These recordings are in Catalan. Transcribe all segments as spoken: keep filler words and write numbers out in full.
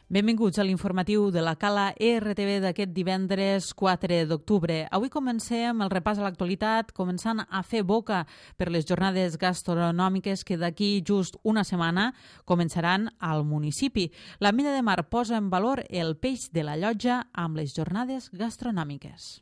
Benvinguts a l'informatiu de la Cala R T V d'aquest divendres quatre d'octubre. Avui comencem el repàs a l'actualitat, començant a fer boca per les jornades gastronòmiques que d'aquí just una setmana començaran al municipi. La Mina de Mar posa en valor el peix de la Llotja amb les jornades gastronòmiques.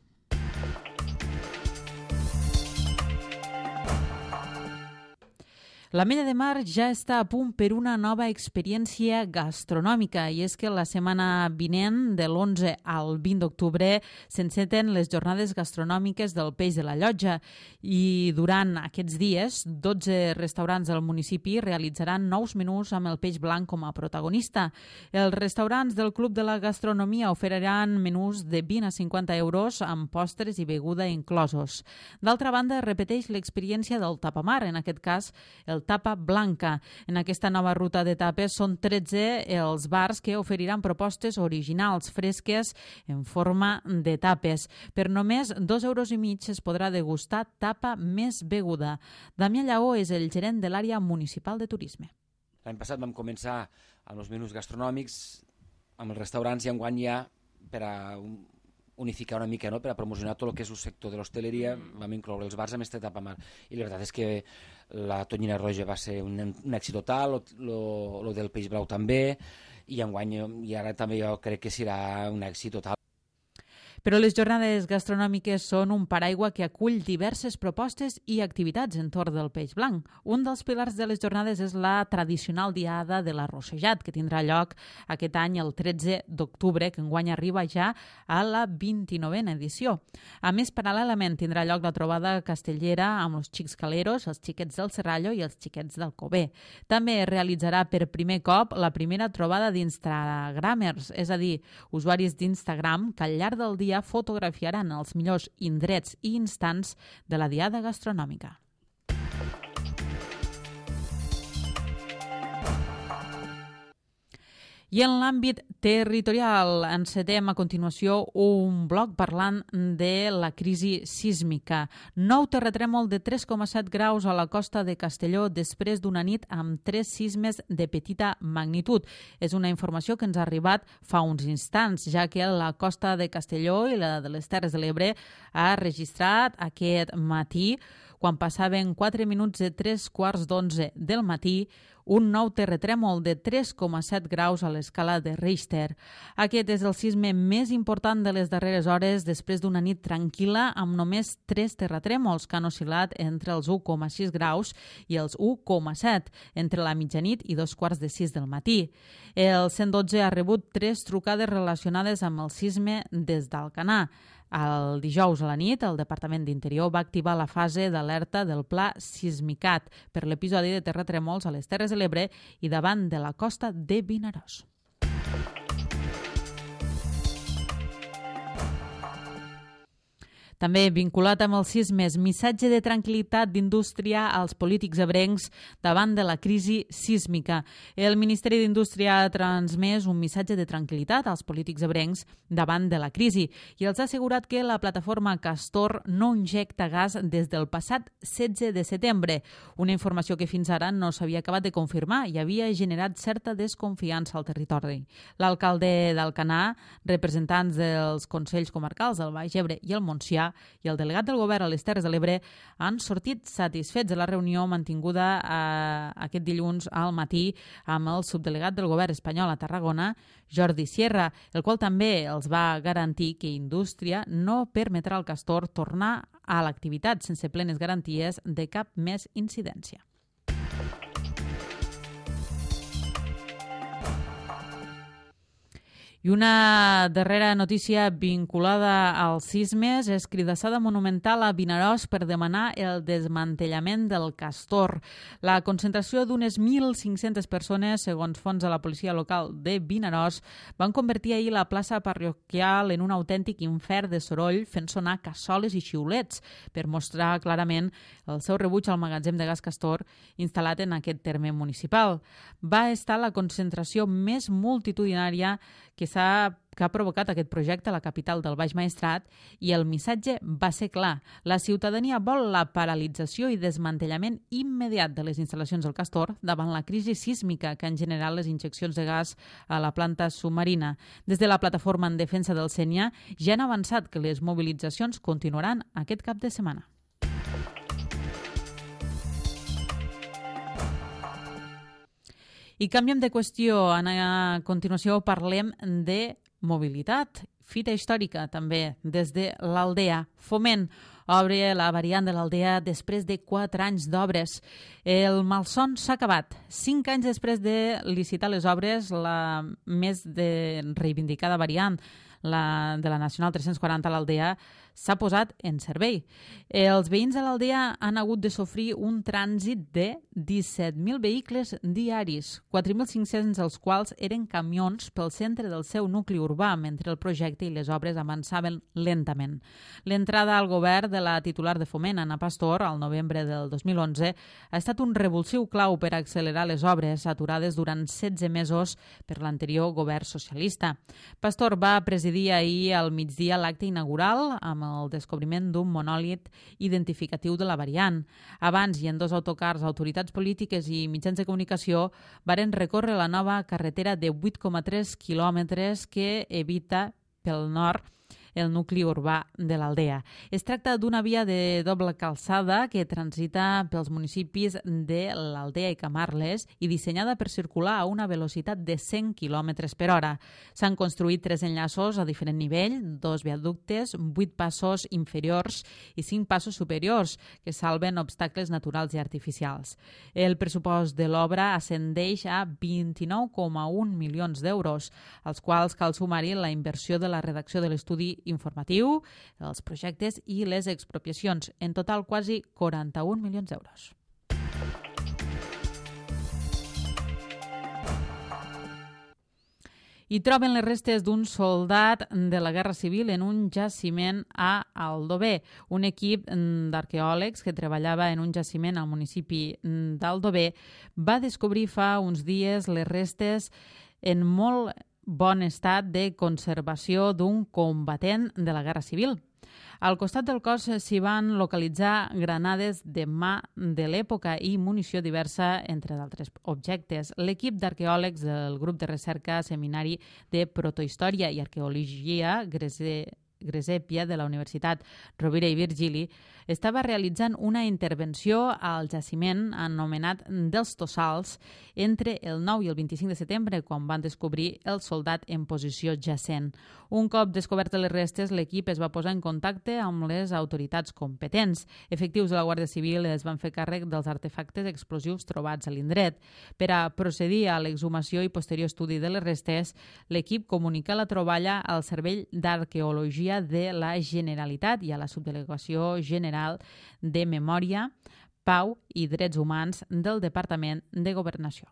La Mina de Mar ja està a punt per una nova experiència gastronòmica i és que la setmana vinent, de l'onze al vint d'octubre, s'enceten les jornades gastronòmiques del peix de la Llotja i durant aquests dies, dotze restaurants del municipi realitzaran nous menús amb el peix blanc com a protagonista. Els restaurants del Club de la Gastronomia oferiran menús de vint a cinquanta euros amb postres i beguda inclosos. D'altra banda, repeteix l'experiència del tapamar, en aquest cas el tapa blanca. En aquesta nova ruta de tapes són tretze els bars que oferiran propostes originals, fresques, en forma de tapes. Per només dos euros i mig es podrà degustar tapa més beguda. Damià Lleó és el gerent de l'àrea municipal de turisme. L'any passat vam començar amb els menús gastronòmics, amb els restaurants, i enguany ja per a unificar una mica, no? Per a promocionar tot el que és el sector de l'hostaleria, vam incloure els bars amb este tapamar. I la veritat és que la tonyina roja va ser un, un èxit total, el del peix blau també, i enguany i ara també jo crec que serà un èxit total. Però les jornades gastronòmiques són un paraigua que acull diverses propostes i activitats entorn del peix blanc. Un dels pilars de les jornades és la tradicional diada de l'arrossejat, que tindrà lloc aquest any el tretze d'octubre, que enguany arriba ja a la vint-i-novena edició. A més, paral·lelament tindrà lloc la trobada castellera amb els xics caleros, els xiquets del Serrallo i els xiquets del Cové. També es realitzarà per primer cop la primera trobada d'instagramers, és a dir, usuaris d'Instagram que al llarg del dia fotografiaran els millors indrets i instants de la diada gastronòmica. I en l'àmbit territorial encetem a continuació un bloc parlant de la crisi sísmica. Nou terratrèmol de tres coma set graus a la costa de Castelló després d'una nit amb tres sismes de petita magnitud. És una informació que ens ha arribat fa uns instants, ja que la costa de Castelló i la de les Terres de l'Ebre ha registrat aquest matí, quan passaven quatre minuts de tres quarts d'onze del matí, un nou terratrèmol de tres coma set graus a l'escala de Richter. Aquest és el sisme més important de les darreres hores després d'una nit tranquil·la amb només tres terratrèmols que han oscil·lat entre els u coma sis graus i els u coma set, entre la mitjanit i dos quarts de sis del matí. El cent dotze ha rebut tres trucades relacionades amb el sisme des d'Alcanar. El dijous a la nit, el Departament d'Interior va activar la fase d'alerta del Pla Sismicat per l'episodi de terratrèmols a les Terres de l'Ebre i davant de la costa de Vinaròs. També vinculat amb els sismes, missatge de tranquil·litat d'Indústria als polítics ebrencs davant de la crisi sísmica. El Ministeri d'Indústria ha transmès un missatge de tranquil·litat als polítics ebrencs davant de la crisi i els ha assegurat que la plataforma Castor no injecta gas des del passat setze de setembre, una informació que fins ara no s'havia acabat de confirmar i havia generat certa desconfiança al territori. L'alcalde d'Alcanar, representants dels Consells Comarcals del Baix Ebre i el Montsià i el delegat del govern a les Terres de l'Ebre han sortit satisfets de la reunió mantinguda eh, aquest dilluns al matí amb el subdelegat del govern espanyol a Tarragona, Jordi Sierra, el qual també els va garantir que Indústria no permetrà al Castor tornar a l'activitat sense plenes garanties de cap més incidència. I una darrera notícia vinculada als sismes és cridassada monumental a Vinaròs per demanar el desmantellament del Castor. La concentració d'unes mil cinc-centes persones, segons fons de la policia local de Vinaròs, van convertir ahir la plaça parroquial en un autèntic infern de soroll fent sonar cassoles i xiulets per mostrar clarament el seu rebuig al magatzem de gas Castor instal·lat en aquest terme municipal. Va estar la concentració més multitudinària que s'ha s'ha que ha provocat aquest projecte a la capital del Baix Maestrat i el missatge va ser clar. La ciutadania vol la paralització i desmantellament immediat de les instal·lacions del Castor davant la crisi sísmica que han generat les injeccions de gas a la planta submarina. Des de la plataforma en defensa del Sénia ja han avançat que les mobilitzacions continuaran aquest cap de setmana. I canviem de qüestió. A continuació parlem de mobilitat, fita històrica també, des de l'Aldea. Foment obre la variant de l'Aldea després de quatre anys d'obres. El malson s'ha acabat. Cinc anys després de licitar les obres, la més de reivindicada variant la de la Nacional tres-cents quaranta a l'Aldea s'ha posat en servei. Els veïns de l'Aldea han hagut de sofrir un trànsit de disset mil vehicles diaris, quatre mil cinc-cents dels quals eren camions pel centre del seu nucli urbà, mentre el projecte i les obres avançaven lentament. L'entrada al govern de la titular de Foment, Ana Pastor, al novembre del dos mil onze, ha estat un revulsiu clau per accelerar les obres aturades durant setze mesos per l'anterior govern socialista. Pastor va presidir ahir al migdia l'acte inaugural amb el descobriment d'un monòlit identificatiu de la variant. Abans i en dos autocars, autoritats polítiques i mitjans de comunicació varen recórrer la nova carretera de vuit coma tres quilòmetres que evita pel nord el nucli urbà de l'Aldea. Es tracta d'una via de doble calçada que transita pels municipis de l'Aldea i Camarles i dissenyada per circular a una velocitat de cent quilòmetres per hora. S'han construït tres enllaços a diferent nivell, dos viaductes, vuit passos inferiors i cinc passos superiors que salven obstacles naturals i artificials. El pressupost de l'obra ascendeix a vint-i-nou coma un milions d'euros, als quals cal sumar-hi la inversió de la redacció de l'estudi informatiu, els projectes i les expropiacions. En total, quasi quaranta-un milions d'euros. I troben les restes d'un soldat de la Guerra Civil en un jaciment a Aldover. Un equip d'arqueòlegs que treballava en un jaciment al municipi d'Aldover va descobrir fa uns dies les restes en molt bon estat de conservació d'un combatent de la Guerra Civil. Al costat del cos s'hi van localitzar granades de mà de l'època i munició diversa, entre d'altres objectes. L'equip d'arqueòlegs del grup de recerca Seminari de Protohistòria i Arqueologia Gresèpia de la Universitat Rovira i Virgili estava realitzant una intervenció al jaciment anomenat dels Tossals entre el nou i el vint-i-cinc de setembre, quan van descobrir el soldat en posició jacent. Un cop descobertes les restes, l'equip es va posar en contacte amb les autoritats competents. Efectius de la Guàrdia Civil es van fer càrrec dels artefactes explosius trobats a l'indret. Per a procedir a l'exhumació i posterior estudi de les restes, l'equip comunica la troballa al Servei d'Arqueologia de la Generalitat i a la Subdelegació General de Memòria, Pau i Drets Humans del Departament de Governació.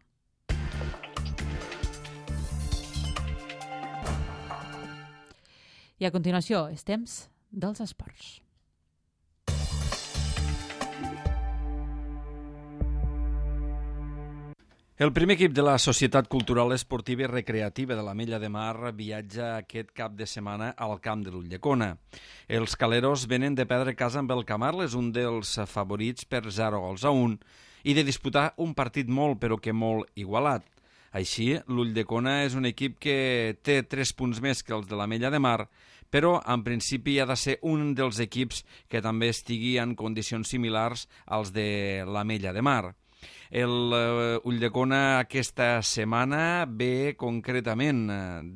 I a continuació, és temps dels esports. El primer equip de la Societat Cultural Esportiva i Recreativa de l'Ametlla de Mar viatja aquest cap de setmana al camp de l'Ulldecona. Els caleros venen de perdre casa amb el Camarles, un dels favorits per zero gols a un, i de disputar un partit molt, però que molt igualat. Així, l'Ulldecona és un equip que té tres punts més que els de l'Ametlla de Mar, però en principi ha de ser un dels equips que també estigui en condicions similars als de l'Ametlla de Mar. El uh, Ulldecona aquesta setmana ve concretament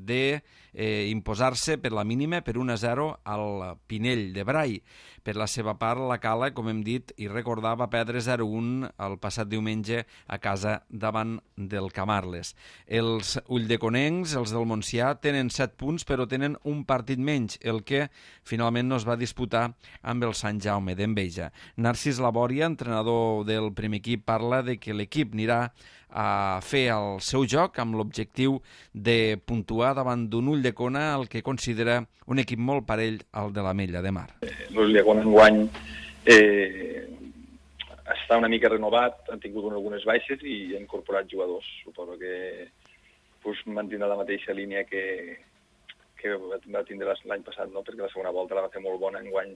de eh, imposar-se per la mínima per un a zero al Pinell de Brai. Per la seva part, la Cala, com hem dit i recordar, va perdre zero a un el passat diumenge a casa davant del Camarles. Els ulldeconencs, els del Montsià, tenen set punts però tenen un partit menys, el que finalment no es va disputar amb el Sant Jaume d'Enveja. Narcís Labòria, entrenador del primer equip, parla de que l'equip anirà a fer el seu joc amb l'objectiu de puntuar davant d'un Ulldecona, el que considera un equip molt parell al de l'Ametlla de Mar. L'Ulldecona enguany eh, està una mica renovat, han tingut algunes baixes i han incorporat jugadors. Suposo que pues, mantindrà la mateixa línia que, que va tindre l'any passat, no? Perquè la segona volta la va fer molt bona. Enguany,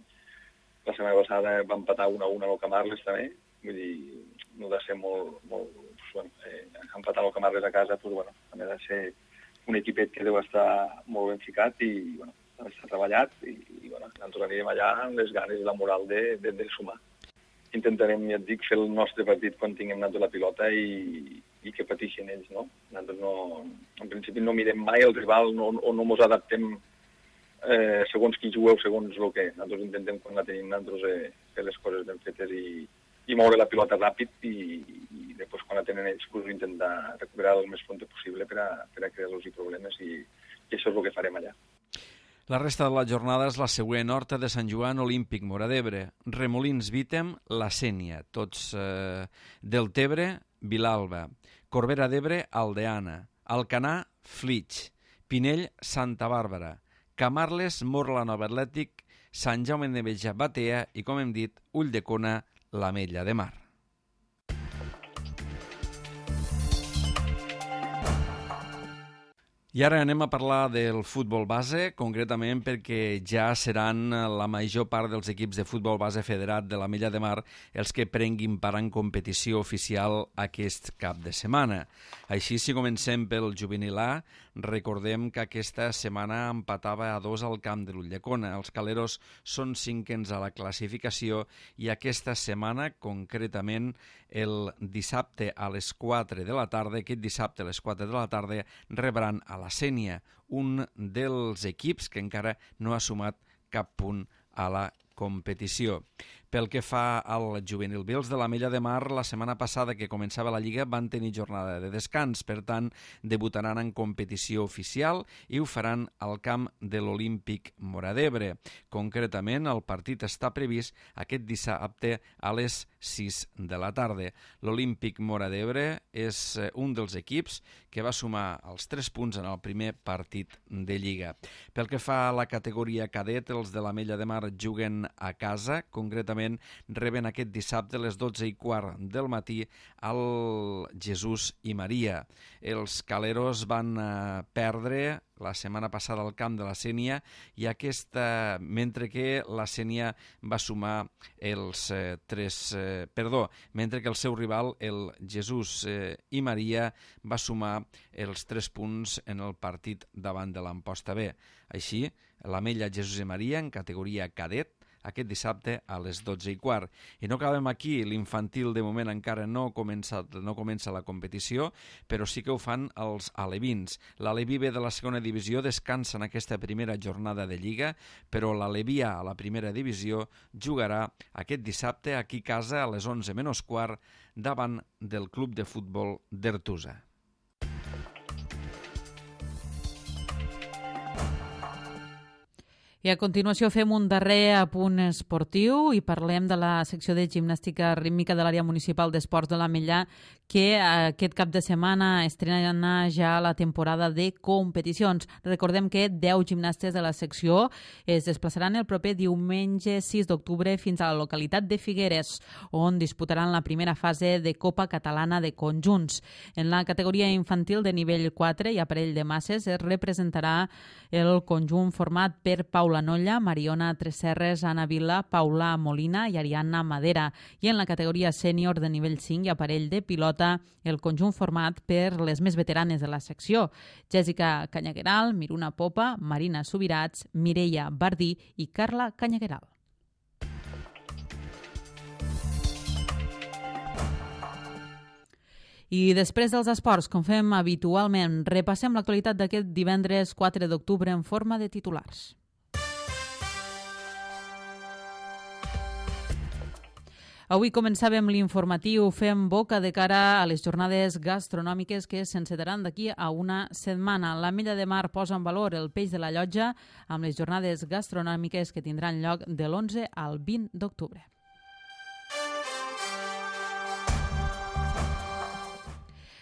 la setmana passada va empatar una a una amb el Camarles també, vull dir, no ha de ser molt... molt doncs, bueno, eh, empatar el Camarles a casa, doncs, bueno, també ha de ser un equipet que deu estar molt ben ficat i, bueno, ha d'estar treballat i, i bueno, nosaltres anirem allà amb les ganes i la moral de, de, de sumar. Intentarem, ja et dic, fer el nostre partit quan tinguem nosaltres la pilota i, i que pateixin ells, no? Nosaltres no, en principi no mirem mai el rival no, o no ens adaptem eh, segons qui jugueu, segons el que. Nosaltres intentem, quan la tenim nosaltres, eh, fer les coses ben fetes i, i moure la pilota ràpid i, i després quan la tenen ells pues, intentar recuperar el més pronte possible per a, per a crear-los problemes i, i això és el que farem allà. La resta de la jornada és la següent: Horta de Sant Joan, Olímpic, Móra d'Ebre, Remolins, Vítem, La Sénia, tots eh, del Tebre, Vilalba, Corbera d'Ebre, Aldeana, Alcanar, Flix, Pinell, Santa Bàrbara, Camarles, Morla Nova Atlètic, Sant Jaume de Enveja, Batea i, com hem dit, Ulldecona, l'Ametlla de Mar. I ara anem a parlar del futbol base, concretament perquè ja seran la major part dels equips de futbol base federat de l'Ametlla de Mar els que prenguin part en competició oficial aquest cap de setmana. Així, si comencem pel juvenil A, recordem que aquesta setmana empatava a dos al camp de l'Ulldecona. Els caleros són cinquens a la classificació i aquesta setmana, concretament el dissabte a les quatre de la tarda, aquest dissabte a les quatre de la tarda, rebran a la Sénia, un dels equips que encara no ha sumat cap punt a la competició. Pel que fa al juvenil B, els de l'Ametlla de Mar, la setmana passada que començava la Lliga van tenir jornada de descans, per tant, debutaran en competició oficial i ho faran al camp de l'Olímpic Móra d'Ebre. Concretament, el partit està previst aquest dissabte a les sis de la tarda. L'Olímpic Móra d'Ebre és un dels equips que va sumar els tres punts en el primer partit de Lliga. Pel que fa a la categoria cadet, els de l'Ametlla de Mar juguen a casa, concretament reben aquest dissabte a les dotze i quart del matí al Jesús i Maria. Els caleros van eh, perdre la setmana passada al camp de la Sénia i aquesta, mentre que la Sénia va sumar els eh, tres, eh, perdó, mentre que el seu rival, el Jesús eh, i Maria, va sumar els tres punts en el partit davant de l'Amposta B. Així, l'Ametlla, Jesús i Maria en categoria cadet aquest dissabte a les dotze i quart. I no acabem aquí, l'infantil de moment encara no comença, no comença la competició, però sí que ho fan els alevins. L'Aleví B de la segona divisió descansa en aquesta primera jornada de Lliga, però l'Aleví A a la primera divisió jugarà aquest dissabte aquí a casa a les onze menys quart davant del club de futbol d'Ertusa. I a continuació fem un darrer apunt esportiu i parlem de la secció de gimnàstica rítmica de l'àrea municipal d'esports de l'Ametlla, que aquest cap de setmana estrena ja la temporada de competicions. Recordem que deu gimnastes de la secció es desplaçaran el proper diumenge sis d'octubre fins a la localitat de Figueres, on disputaran la primera fase de Copa Catalana de Conjunts. En la categoria infantil de nivell quatre i aparell de masses es representarà el conjunt format per Paula Nolla, Mariona Tresserres, Anna Vila, Paula Molina i Ariadna Madera. I en la categoria sènior de nivell cinc i aparell de pilota, el conjunt format per les més veteranes de la secció: Jèssica Canyagueral, Miruna Popa, Marina Subirats, Mireia Bardí i Carla Canyagueral. I després dels esports, com fem habitualment, repassem l'actualitat d'aquest divendres quatre d'octubre en forma de titulars. Avui començàvem l'informatiu fent boca de cara a les jornades gastronòmiques que s'encetaran d'aquí a una setmana. L'Ametlla de Mar posa en valor el peix de la llotja amb les jornades gastronòmiques que tindran lloc de l'onze al vint d'octubre.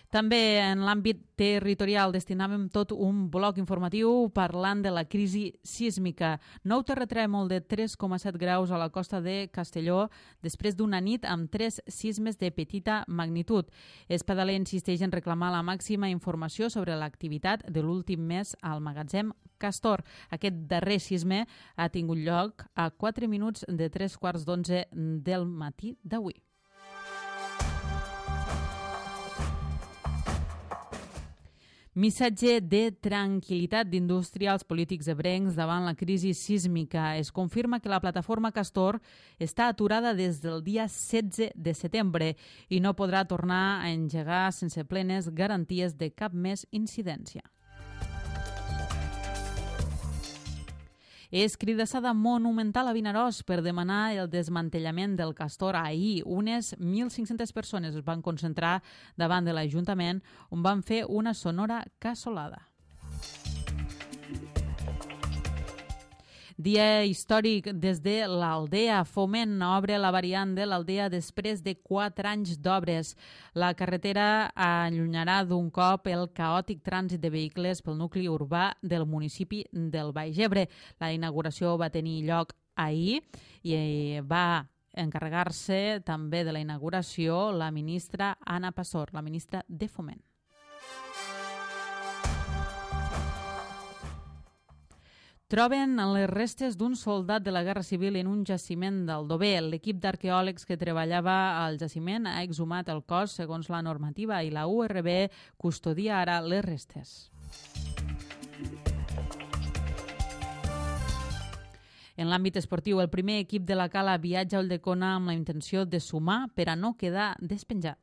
També en l'àmbit territorial destinàvem tot un bloc informatiu parlant de la crisi sísmica. Nou terratrèmol de tres coma set graus a la costa de Castelló després d'una nit amb tres sismes de petita magnitud. Espadaler insisteix en reclamar la màxima informació sobre l'activitat de l'últim mes al magatzem Castor. Aquest darrer sisme ha tingut lloc a quatre minuts de tres quarts d'onze del matí d'avui. Missatge de tranquil·litat d'industrials polítics ebrencs davant la crisi sísmica. Es confirma que la plataforma Castor està aturada des del dia setze de setembre i no podrà tornar a engegar sense plenes garanties de cap més incidència. És cridassada monumental a Vinaròs per demanar el desmantellament del Castor. Ahir, unes mil cinc-centes persones es van concentrar davant de l'Ajuntament on van fer una sonora cassolada. Dia històric des de l'Aldea. Foment obre la variant de l'Aldea després de quatre anys d'obres. La carretera allunyarà d'un cop el caòtic trànsit de vehicles pel nucli urbà del municipi del Baix Ebre. La inauguració va tenir lloc ahir i va encarregar-se també de la inauguració la ministra Ana Pastor, la ministra de Foment. Troben les restes d'un soldat de la Guerra Civil en un jaciment d'Aldover. L'equip d'arqueòlegs que treballava al jaciment ha exhumat el cos segons la normativa i la U R B custodia ara les restes. En l'àmbit esportiu, el primer equip de la Cala viatja a Ulldecona amb la intenció de sumar per a no quedar despenjat.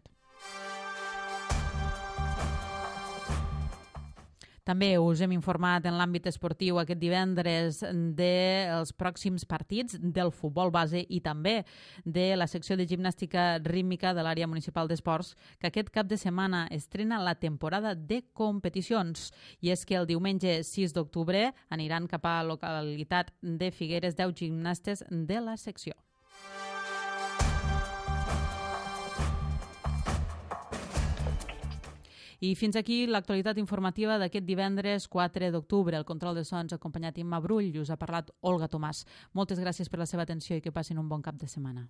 També us hem informat en l'àmbit esportiu aquest divendres dels pròxims partits del futbol base i també de la secció de gimnàstica rítmica de l'àrea municipal d'esports, que aquest cap de setmana estrena la temporada de competicions. I és que el diumenge sis d'octubre aniran cap a la localitat de Figueres deu gimnastes de la secció. I fins aquí l'actualitat informativa d'aquest divendres quatre d'octubre. El control de sons acompanyat Imma Brull i us ha parlat Olga Tomàs. Moltes gràcies per la seva atenció i que passin un bon cap de setmana.